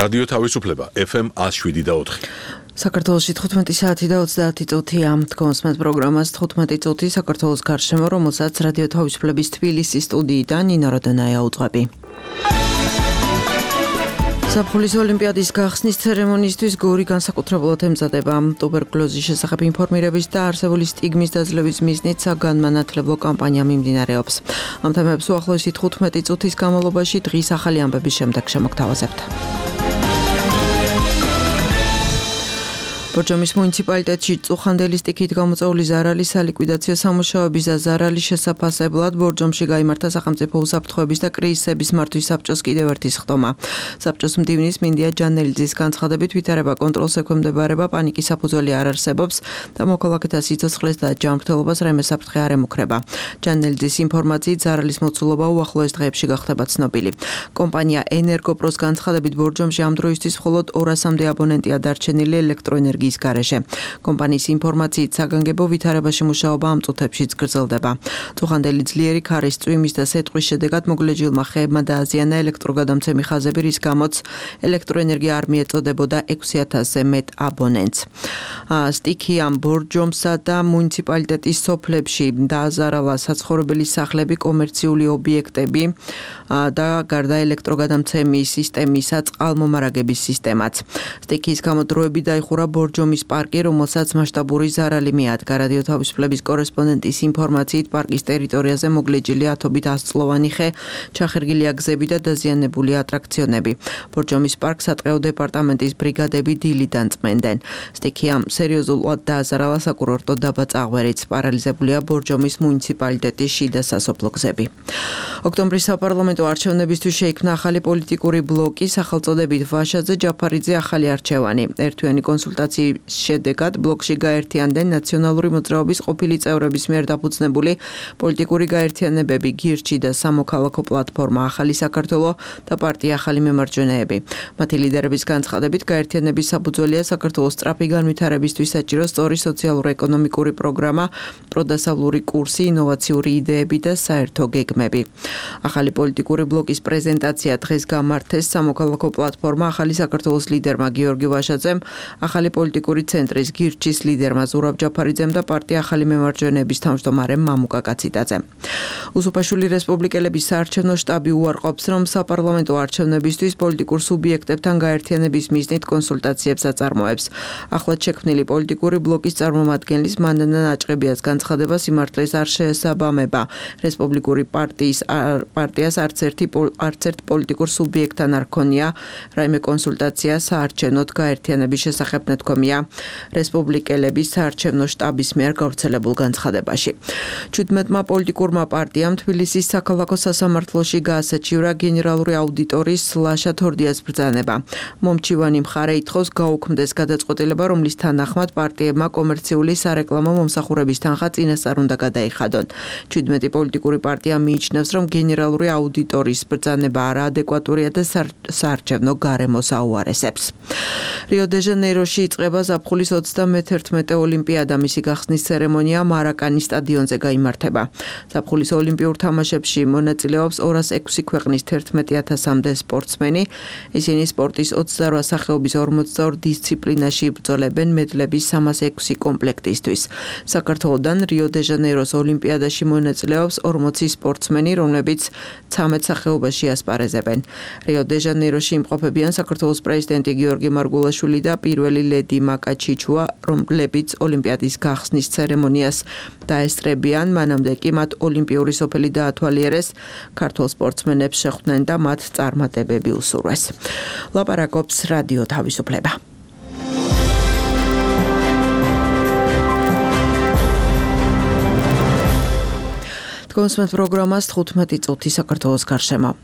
რადიო თავისუფლება FM 107.4. საქართველოში 15 საათი და 30 წუთია. თქვენს პროგრამას 15 წუთი საქართველოს გარშემო, რომელსაც რადიო თავისუფლების თბილისის სტუდიიდან ნინო როდონაია უძღვები. საფრთხის ოლიმპიადის გახსნის ცერემონიისთვის გორი განსაკუთრებულად ემზადება. ტუბერკულოზის შესახებ ინფორმირების და არსებული სტიგმის დაძლევის მიზნით საგანმანათლებლო კამპანია მიმდინარეობს. ამ თემებს უახლოესი 15 წუთის განმავლობაში დღის ახალი ამბების შემდეგ შემოგთავაზებთ. ბორჯომის მუნიციპალიტეტში წუხანდელი სტიქით გამოწვეული ზარალის სალიკვიდაციო სამუშაოების და ზარალის შესაფასებლად ბორჯომში გაიმართა სახელმწიფო უსაფრთხოების და კრიზისების მართვის საბჭოს კიდევ ერთი სხდომა. საბჭოს მდივნის მინდია ჯანელიძის განცხადებით ვითარება კონტროლს ექვემდებარება, პანიკის საფუძველი არ არსებობს და მოქალაქეთა სიცოცხლეს და ჯანმრთელობას რაიმე საფრთხე არ ემუქრება. ჯანელიძის ინფორმაციით ზარალის მოცულობა უახლოეს დღეებში გახდება ცნობილი. კომპანია ენერგოპროს განცხადებით ბორჯომში ამ დროისთვის მხოლოდ 200-მდე აბონენტია დარჩენილი ელექტროენერგიის გარეშე. კომპანიის ინფორმაციით საგანგებო ვითარებაში მუშაობა ამ წუთებშიც გრძელდება. წუხანდელი ძლიერი ქარის წვიმის და სეტყვის შედეგად მოგლეჯილმა ხეებმა დააზიანა ელექტროგადამცემი ხაზები, რის გამოც ელექტროენერგია არ მიეწოდებოდა 6000-ზე მეტ აბონენტს. სტიქი ამ ბორჯომსა და მუნიციპალიტეტის სოფლებში დააზარალა საცხოვრებელი სახლები, კომერციული ობიექტები და გარდა ელექტროგადამცემის სისტემისა წყალმომარაგების სისტემაც. სტიქის გამოდროები დაიხურა ბორჯომის პარკი, რომელსაც მასშტაბური ზარალი მიადგა. რადიო თავისუფლების კორესპონდენტის ინფორმაციით პარკის ტერიტორიაზე მოგლეჯილი ათობით 100-წლოვანი ხე, ჩახერგილია გზები და დაზიანებული ატრაქციონები. ბორჯომის პარკს სატყეო დეპარტამენტის ბრიგადები დილიდან წმენდნენ. სტიქი ამ სერიოზულად დააზარალა საკურორტო დაბა წაღვერიც. პარალიზებულია ბორჯომის მუნიციპალიტეტის შიდა სასოფლო გზები. ოქტომბრის საპარლამენტო არჩევნებისთვის შეიქმნა ახალი პოლიტიკური ბლოკი, სახელწოდებით ვაშაძე ჯაფარიძე ახალი არჩევანი. ერთვიანი კონსულტაციის შედეგად ბლოკში გაერთიანდნენ ნაციონალური მოძრაობის ყოფილი წევრების მიერ დაფუძნებული პოლიტიკური გაერთიანებები გირჩი და სამოქალაქო პლატფორმა ახალი საქართველო და პარტია ახალი მემარჯვენეები. მათი ლიდერების განცხადებით გაერთიანების საფუძველია საქართველოს სწრაფი განვითარებისთვის საჭირო სწორი სოციალურ-ეკონომიკური პროგრამა, პროდასავლური კურსი, ინოვაციური იდეები და საერთო გეგმები. ახალი პოლიტიკური ბლოკის პრეზენტაცია დღეს გამართეს სამოქალაქო პლატფორმა ახალი საქართველოს ლიდერმა გიორგი ვაშაძემ, ახალი პოლიტიკური ცენტრის გირჩის ლიდერმა ზურაბ ჯაფარიძემ და პარტია ახალი მემარჯვენეების თავმჯდომარემ მამუკა კაციტაძემ. უსუფაშვილი რესპუბლიკელების საარჩევნო შტაბი უარყოფს, რომ საპარლამენტო არჩევნებისთვის პოლიტიკურ სუბიექტებთან გაერთიანების მიზნით კონსულტაციებს აწარმოებს. ახლად შექმნილი პოლიტიკური ბლოკის წარმომადგენლის მანანა ნაჭყებიას განცხადებას სიმართლეს არ შეესაბამება. რესპუბლიკური პარტიას არც ერთ პოლიტიკურ სუბიექტთან არ ქონია რაიმე კონსულტაცია საარჩევნოდ გაერთიანების შესახებ ნათქვამია რესპუბლიკელების საარჩევნო შტაბის მიერ გავრცელებულ განცხადებაში. 17-მა პოლიტიკურმა პარტიამ თბილისის საქალაქო სასამართლოში გაასაჩივრა გენერალური აუდიტორის ლაშა თორდიას ბრძანება. მომჩივანი მხარე ითხოვს გაუქმდეს გადაწყვეტილება, რომლის თანახმად პარტიებმა კომერციული სარეკლამო მომსახურების თანხა წინასწარ უნდა გადაიხადონ. 17 პოლიტიკური პარტია მიიჩნევს, რომ გენერალური აუდიტორის ბრძანება არაადეკვატურია და საარჩევნო გარემოს აუარესებს. რიო-დე-ჟანეიროში იწყება ზაფხულის 31 ოლიმპიადა. მისი გახსნის ცერემონია მარაკანის სტადიონზე გაიმართება. ზაფხულის ოლიმპიურ თამაშებში მონაწილეობს 206 ქვეყნის 11,000-მდე სპორტსმენი. ისინი სპორტის 28 სახეობის 42 დისციპლინაში იბრძოლებენ მედლების 306 კომპლექტისთვის. საქართველოდან რიო-დე-ჟანეიროს ოლიმპიადაში მონაწილეობს 40 სპორტსმენი, რომლებიც 13 სახეობაში ასპარეზებენ. რიო-დე-ჟანეიროში იმყოფებიან საქართველოს პრეზიდენტი გიორგი მარგულაშვილი და პირველი ლედი მაკა ჩიჩუა, რომლებიც ოლიმპიადის გახსნის ცერემონიას დაესწრებიან. მანამდე კი მათ ოლიმპიური სოფელი დაათვალიერეს, ქართველ სპორტსმენებს შეხვდნენ და მათ წარმატებები უსურვეს. ლაპარაკობს რადიო თავისუფლება. თქვენს პროგრამას 15 წუთი საქართველოს გარშემო.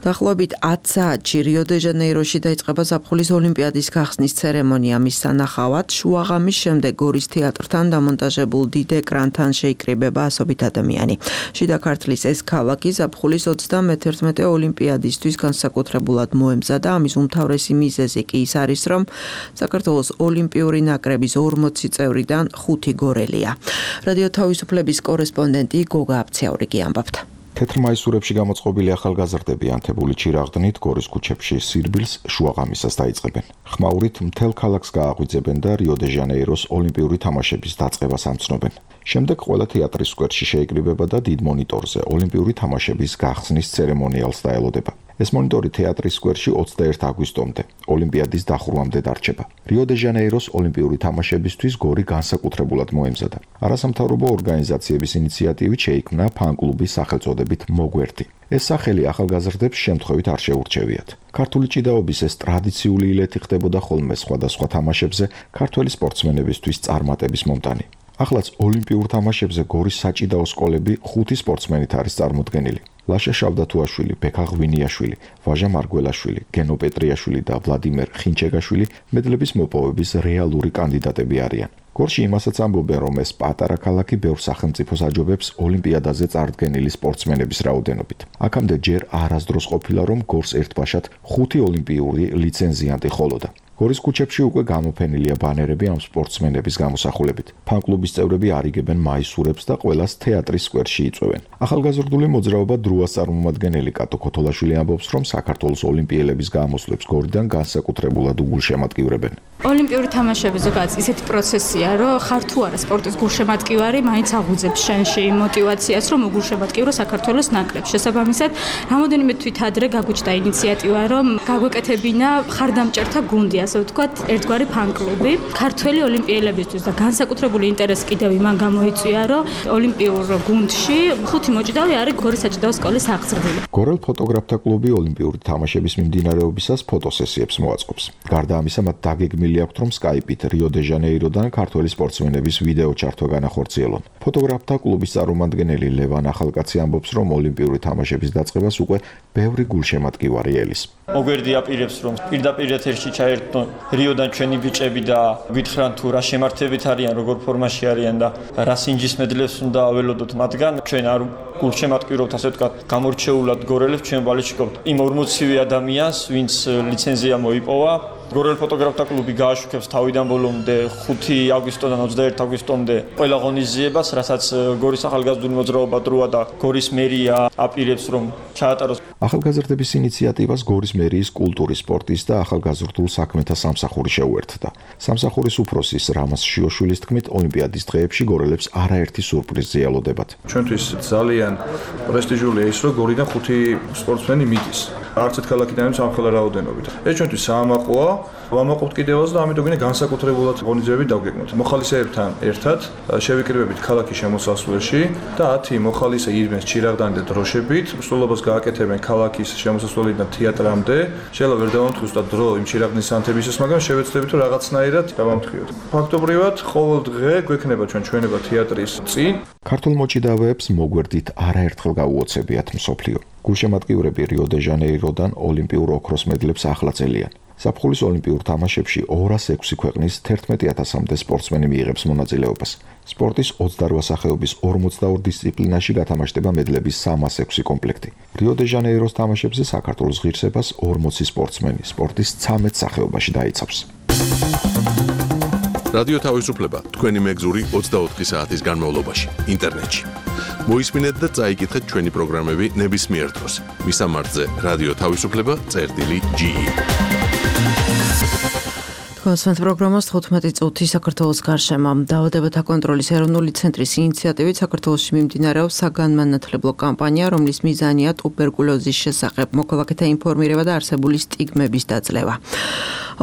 დაახლოებით 10 საათში რიო-დე-ჟანეიროში დაიწყება ზაფხულის ოლიმპიადის გახსნის ცერემონია. მის სანახავად შუაღამის შემდეგ გორის თეატრთან დამონტაჟებულ დიდ ეკრანთან შეიკრიბება ასობით ადამიანი. შიდა ქართლის ეს ქალაქი ზაფხულის 31 ოლიმპიადისთვის განსაკუთრებულად მოემზადა. ამის უმთავრესი მიზეზი კი ის არის, რომ საქართველოს ოლიმპიური ნაკრების 40 წევრიდან 5 გორელია. რადიო თავისუფლების კორესპონდენტი გოგა აბცეაური კი ამბობდა. თეთრ მაისურებში გამოწყობილი ახალგაზრდები ანთებული ჩირაღდნით გორის ქუჩებში სირბილს შუაღამისას დაიწყებენ. ხმაურით მთელ ქალაქს გააღვიძებენ და რიო-დე-ჟანეიროს ოლიმპიური თამაშების დაწყებას ამცნობენ. შემდეგ ყველა თეატრის სკვერში შეიკრიბება და დიდ მონიტორზე ოლიმპიური თამაშების გახსნის ცერემონიალს დაელოდება. ეს მონიტორი თეატრის სკვერში 21 აგვისტომდე, ოლიმპიადის დახურვამდე დარჩება. რიო-დე-ჟანეიროს ოლიმპიური თამაშებისთვის გორი განსაკუთრებულად მოემზადა. არასამთავრობო ორგანიზაციების ინიციატივით შეიქმნა ფან-კლუბის სახელწოდებით მოგვერდი. ეს სახელი ახალგაზრდებს შემთხვევით არ შეურჩევიათ. ქართული ჭიდაობის ეს ტრადიციული ილეთი ხდებოდა ხოლმე სხვადასხვა თამაშებზე ქართველი სპორტსმენებისთვის წარმატების მომტანი. ახლაც ოლიმპიურ თამაშებზე გორის საჭიდაო სკოლები 5 სპორტსმენით არის წარმოდგენილი. ლაშა შავდათუაშვილი, ბექა ღვინიაშვილი, ვაჟა მარგველაშვილი, გენო პეტრიაშვილი და ვლადიმერ ხინჩეგაშვილი მედლების მოპოვების რეალური კანდიდატები არიან. გორში იმასაც ამბობენ, რომ ეს პატარა ქალაქი ბევრ სახელმწიფოს აჯობებს ოლიმპიადაზე წარდგენილი სპორტსმენების რაოდენობით. აქამდე ჯერ არასდროს ყოფილა, რომ გორს ერთბაშად 5 ოლიმპიური ლიცენზიანტი ხოლოდა. გორის ქუჩებში უკვე გამოფენილია ბანერები ამ სპორტსმენების გამოსახულებით. ფან-კლუბის წევრები არიგებენ მაისურებს და ყველას თეატრის სკვერში იწვევენ. ახალგაზრდული მოძრაობა დროას წარმომადგენელი კატო ქოთოლაშვილი ამბობს, რომ საქართველოს ოლიმპიელების გამოსვლებს გორიდან განსაკუთრებულად უგულშემატკივრებენ. ოლიმპიური თამაშები ზოგადად ისეთი პროცესია, რომ ხარ თუ არა სპორტის გულშემატკივარი, მაინც აღუძებს შენში мотивაციას, რომ უგულშემატკივრო საქართველოს ნაკრებს. შესაბამისად, რამოდენიმე თვით ადრე გაგვიჩნდა ინიციატივა, რომ გაგვეკეთებინა ხარდამჭერთა გუნდი, ასე ვთქვათ, ერთგვარი ფან-კლუბი ქართველი ოლიმპიელებისთვის და განსაკუთრებული ინტერესი კიდევ იმან გამოიწვია, რომ ოლიმპიურ გუნდში 5 მოჭიდავე არის გორის საჭიდაო სკოლის აღზრდილი. გორელ ფოტოგრაფთა კლუბი ოლიმპიური თამაშების მიმდინარეობისას ფოტოსესიებს მოაწყობს. გარდა ამისა, მათ დაგეგმილი აქვთ, რომ სკაიპით რიო-დე-ჟანეიროდან ქართველი სპორტსმენების ვიდეო ჩართვა განახორციელონ. ფოტოგრაფთა კლუბის წარმომადგენელი ლევან ახალკაცი ამბობს, რომ ოლიმპიური თამაშების დაწყებას უკვე ბევრი გულშემატკივარი ელის. მოგვერდი აპირებს, რომ პირდაპირ ეთერში ჩაერთონ რიოდან ჩვენი ბიჭები და გითხრან თუ რა შემართებით არიან, როგორ ფორმაში არიან და რა სინჯის მედლებს უნდა აველოდოთ მათგან. ჩვენ არ გულშემატკივრობთ, ასე ვთქვათ, გამორჩეულად გორელებს ჩვენ ვალიშიკობთ იმ 40 ადამიანს, ვინც ლიცენზია მოიპოვა. გორელ ფოტოგრაფთა კლუბი გააშუქებს თავიდან ბოლომდე 5 აგვისტოდან 21 აგვისტომდე ყველა ღონისძიებას, რასაც გორის ახალგაზრდული მოძრაობა დროა და გორის მერია აპირებს, რომ ჩაატაროს. ახალგაზრდების ინიციატივას გორის მერიის კულტურის, სპორტის და ახალგაზრდულ საქმეთა სამსახური შეუერთდა. სამსახურის უფროსის რამაზ შიოშვილის თქმით, ოლიმპიადის დღეებში გორელებს არაერთი სურპრიზი ელოდებათ. ჩვენთვის ძალიან პრესტიჟულია ის, რომ გორიდან 5 სპორტსმენი მიდის. არც ერთ ქალაქიდან ამ ხელა რაოდენობით. ეს ჩვენთვის საამაყოა, ვამაყობთ კიდევაც და ამიტომ გინდა განსაკუთრებულად ღონისძიებები დავგეგმოთ. მოხალისეებთან ერთად შევიკრიბებით ქალაქის შემოსასვლელში და 10 მოხალისე ირმეს ჩირაღდანი და დროშებით, მსვლელობას გააკეთებენ ქალაქის შემოსასვლელიდან თეატრამდე. შეიძლება ვერ დავამტკიცოთ დრო იმ ჩირაღდნის ანთებისას, მაგრამ შევეცდებით რომ რაღაცნაირად დავამტკიოთ. ფაქტობრივად ყოველ დღე გვექნება ჩვენება თეატრის წინ. ქართულ მოჭიდავეებს მოგვერდით არაერთხელ გაუოცებიათ მსოფლიო. გულშემატკივრები რიო-დე-ჟანეიროდან ოლიმპიურ ოქროს მედლებს ახლაწელიან. ზაფხულის ოლიმპიურ თამაშებში 206 ქვეყნის 11,000-მდე სპორტსმენი მიიღებს მონაწილეობას. სპორტის 28 სახეობის 42 დისციპლინაში გათამაშდება მედლების 306 კომპლექტი. რიო-დე-ჟანეიროს თამაშებზე საქართველოს ღირსებას 40 სპორტსმენი სპორტის 13 სახეობაში დაიცავს. რადიო თავისუფლება თქვენი მეგზური 24 საათის განმავლობაში ინტერნეტში. მოისმინეთ და წაიკითხეთ ჩვენი პროგრამები ნებისმიერ დროს. მისამართზე რადიო თავისუფლება.ge. კონსვენთ პროგრამას 15 წუთი საქართველოს გარშემო. დაავადებათა კონტროლის ეროვნული ცენტრის ინიციატივით საქართველოში მიმდინარეობს საგანმანათლებლო კამპანია, რომლის მიზანია ტუბერკულოზის შესახებ მოქალაქეთა ინფორმირება და არსებული სტიგმების დაძლევა.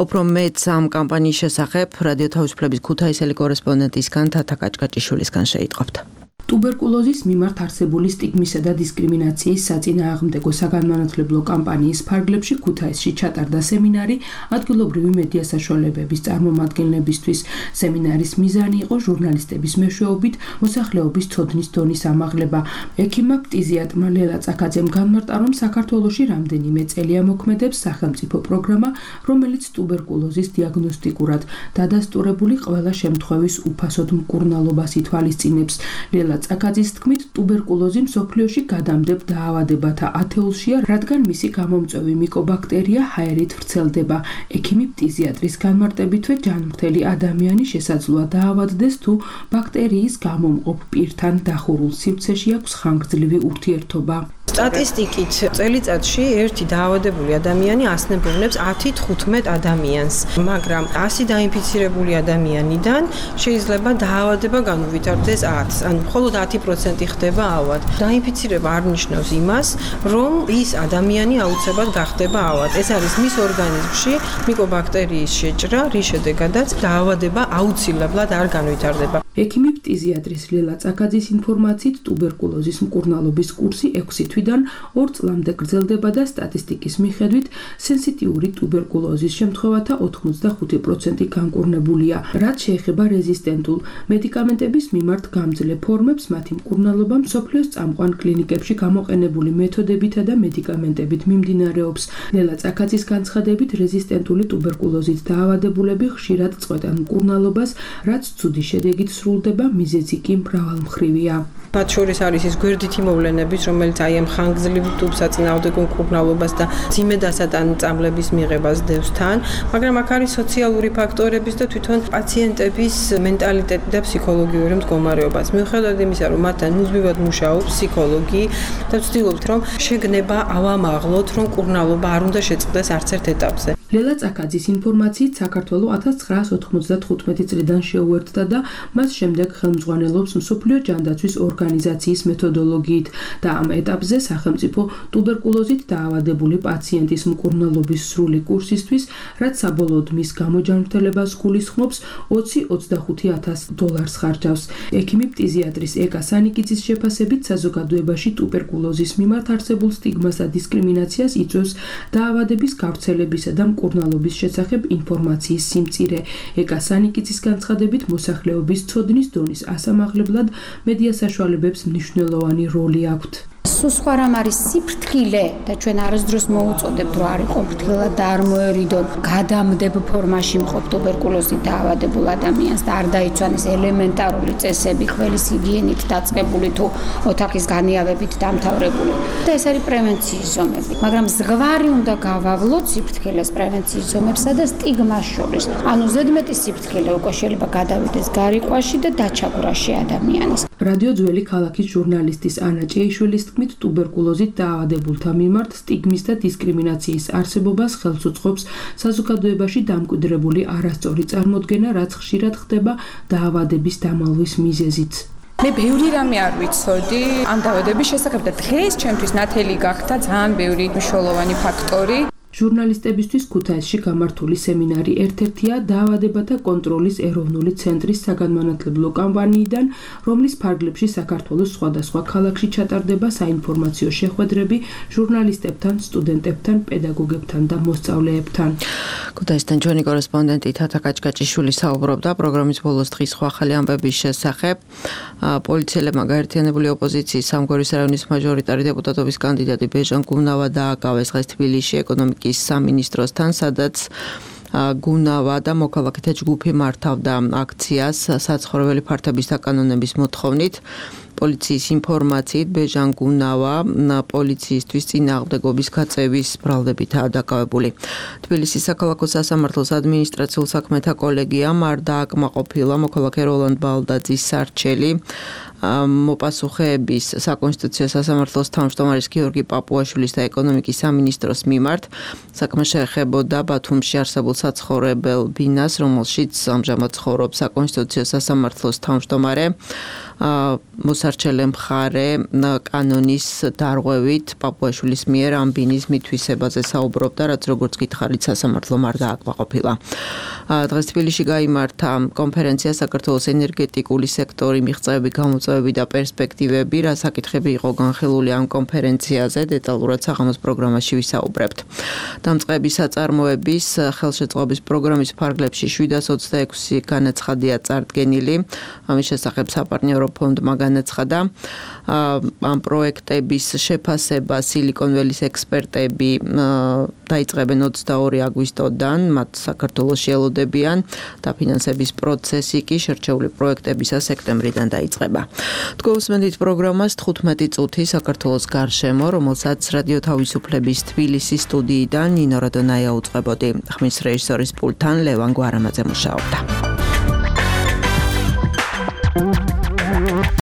უფრო მეტს ამ კამპანიის შესახებ რადიო თავისუფლების ქუთაისელი კორესპონდენტისგან თათა კაჭკაჭიშვილისგან შეიტყობთ. ტუბერკულოზის მიმართ არსებული სტიგმისა და დისკრიმინაციის საწინააღმდეგო საგანმანათლებლო კამპანიის ფარგლებში ქუთაისში ჩატარდა სემინარი ადგილობრივი მედია საშუალებების წარმომადგენლებისთვის. სემინარის მიზანი იყო ჟურნალისტების მეშვეობით მოსახლეობის ცოდნის დონის ამაღლება. ექიმ ფტიზიატრმა ლელა წაკაძემ განმარტა, რომ საქართველოში რამდენიმე წელია მოქმედებს სახელმწიფო პროგრამა, რომელიც ტუბერკულოზის დიაგნოსტიკურად დადასტურებული ყველა შემთხვევის უფასოდ მკურნალობას ითვალისწინებს. ლელა წაკაძის თქმით, ტუბერკულოზი მსოფლიოში გადამდებ დაავადებათა ათეულშია, რადგან მისი გამომწვევი მიკობაქტერია ჰაერით ვრცელდება. ექიმი ფტიზიატრის განმარტებითვე ჯანმრთელი ადამიანი შესაძლოა დაავადდეს თუ ბაქტერიის გამომყოფ პირთან დახურულ სივრცეში აქვს ხანგრძლივი ურთიერთობა. სტატისტიკით წელიწადში ერთი დაავადებული ადამიანი ასნებოვნებს 10-15 ადამიანს, მაგრამ 100 დაინფიცირებული ადამიანიდან შეიძლება დაავადება განუვითარდეს 10-ს, ან მხოლოდ 10% ხდება ავად. დაინფიცირება არ ნიშნავს იმას, რომ ის ადამიანი აუცილებლად გახდება ავად. ეს არის მის ორგანიზმში მიკობაქტერიის შეჭრა, რის შედეგადაც დაავადება აუცილებლად არ განვითარდება. ექიმი ფტიზიატრის ლელა წაკაძის ინფორმაციით, ტუბერკულოზის მკურნალობის კურსი 6 თვიდან 2 წლამდე გრძელდება და სტატისტიკის მიხედვით სენსიტიური ტუბერკულოზის შემთხვევათა 85% განკურნებულია. რაც შეეხება რეზისტენტულ მედიკამენტების მიმართ გამძლე ფორმებს, მათი მკურნალობა მსოფლიოს წამყვან კლინიკებში გამოყენებული მეთოდებითა და მედიკამენტებით მიმდინარეობს. ლელა წაკაძის განცხადებით, რეზისტენტული ტუბერკულოზით დაავადებულები ხშირად წყვეტენ მკურნალობას, რაც ცუდი შედეგით სრულდება, მიზეზი კი მრავალმხრივია. მათ შორის არის ის გვერდითი მოვლენების, რომელიც აი ამ ხანგრძლივ ტუბსაწინააღმდეგო მკურნალობას და ძიმედასატან წამლების მიღებას დევს თან, მაგრამ აქ არის სოციალური ფაქტორების და თვითონ პაციენტების მენტალიტეტი და ფსიქოლოგიური მდგომარეობაც. მიუხედავად იმისა, რომ მათთან მუდმივად მუშაობს ფსიქოლოგი და ვცდილობთ, რომ შეგნება ავამაღლოთ, რომ მკურნალობა არ უნდა შეწყდეს არც ერთ ეტაპზე. ლელა წაკაძის ინფორმაციით, საქართველო 1995 წლიდან შეუერთდა და მას შემდეგ ხელმძღვანელობს მსოფლიო ჯანდაცვის ორგანიზაციის მეთოდოლოგიით და ამ ეტაპზე სახელმწიფო ტუბერკულოზით დაავადებული პაციენტის მკურნალობის სრული კურსისთვის, რაც საბოლოოდ მის გამოჯანმრთელებას გულისხმობს, $20-25,000 ხარჯავს. ექიმი ფტიზიატრის ეკა სანიკიძის შეფასებით, საზოგადოებაში ტუბერკულოზის მიმართ არსებულ სტიგმას და დისკრიმინაციას იწვევს დაავადების გავრცელებისა და მკურნალობის შესახებ ინფორმაციის სიმწირე. ეკა სანიკიძის განცხადებით, მოსახლეობის ცოდნის დონის ასამაღლებლად მედია საშუალებებს მნიშვნელოვანი როლი აქვთ. სულ რამ არის სიფრთხილე და ჩვენ არასდროს მოუწოდებთ, რომ არ იყო ფრთხილად და არ მოერიდონ გადამდებ ფორმაში მყოფ ტუბერკულოზით დაავადებულ ადამიანს და არ დაიცვანეს ელემენტარული წესები, ყველის ჰიგიენით დაწყებული თუ ოთახის განიავებით დამთავრებული. და ეს არის პრევენციის ზომები. მაგრამ ზღვარი უნდა გავავლოთ სიფრთხილეს პრევენციის ზომებსა და სტიგმას შორის. ანუ ზედმეტი სიფრთხილე უკვე შეიძლება გადავიდეს გარიყვაში და დაჩაგვრაში ადამიანის. რადიო ძველი ქალაქის ჟურნალისტის ანა ჭეიშვილის თქმით, ტუბერკულოზით დაავადებულთა მიმართ სტიგმის და დისკრიმინაციის არსებობას ხელს უწყობს საზოგადოებაში დამკვიდრებული არასწორი წარმოდგენა, რაც ხშირად ხდება დაავადების დამალვის მიზეზით. მე ბევრი რამე არ ვიცოდი ამ დაავადების შესახებ და დღეს ჩემთვის ნათელი გახდა ძალიან ბევრი მნიშვნელოვანი ფაქტორი. ჟურნალისტებისთვის ქუთაისში გამართული სემინარი ერთ-ერთია დაავადებათა კონტროლის ეროვნული ცენტრის საგანმანათლებლო კამპანიიდან, რომლის ფარგლებში საქართველოს სხვადასხვა ქალაქში ჩატარდება საინფორმაციო შეხვედრები ჟურნალისტებთან, სტუდენტებთან, პედაგოგებთან და მოსწავლეებთან. ქუთაისთან ჩვენი კორესპონდენტი თათა კაჭკაჭიშვილი საუბრობდა პროგრამის ბოლოს დღის სხვა ახალი ამბების შესახებ. პოლიციელებმა გაერთიანებული ოპოზიციის სამგორის რაიონის მაჟორიტარი დეპუტატობის კანდიდატი ბეჟან გუნავა დააკავეს დღეს თბილისში ეკონომიკის სამინისტროსთან, სადაც გუნავა და მოქალაქეთა ჯგუფი მართავდა აქციას საცხოვრებელი ფართობის დაკანონების მოთხოვნით. პოლიციის ინფორმაციით, ბეჟან გუნავა პოლიციისთვის წინააღმდეგობის გაწევის ბრალდებითაა დაკავებული. თბილისის საქალაქო სასამართლოს ადმინისტრაციულ საქმეთა კოლეგიამ არ დააკმაყოფილა მოქალაქე როლანდ ბალდაძის სარჩელი მოპასუხეების საკონსტიტუციო სასამართლოს თავმჯდომარის გიორგი პაპუაშვილის და ეკონომიკის სამინისტროს მიმართ. საქმე შეეხებოდა ბათუმში არსებულ საცხოვრებელ ბინას, რომელშიც ამჟამად ცხოვრობს საკონსტიტუციო სასამართლოს თავმჯდომარე. მოსარჩელე მხარე კანონის დარღვევით პაპუაშვილის მიერ ამ ბინის მითვისებაზე საუბრობდა, რაც როგორც გითხარით სასამართლომ არ დააკმაყოფილა. დღეს თბილისში გაიმართა კონფერენცია საქართველოს ენერგეტიკული სექტორი მიღწევები, გამოწვევები და პერსპექტივები, რა საკითხები იყო განხილული ამ კონფერენციაზე, დეტალურად საღამოს პროგრამაში ვისაუბრებთ. დამწყების საწარმოების ხელშეწყობის პროგრამის ფარგლებში 726 განაცხადია წარდგენილი. ამის შესახებ საპარტნიორო ფონდმა განაცხადა. ამ პროექტების შეფასება სილიკონ ველის ექსპერტები დაიწყებენ 22 აგვისტოდან, მათ საქართველოში ელოდებიან და ფინანსების პროცესი კი შერჩეული პროექტებისა სექტემბრიდან დაიწყება. თქვენს პროგრამას 15 წუთი საქართველოს გარშემო, რომელსაც რადიო თავისუფლების თბილისის სტუდიიდან ნინო როდონაია უწყებოდი. ხმის რეჟისორის პულტთან ლევან გვარამაძე მუშაობდა.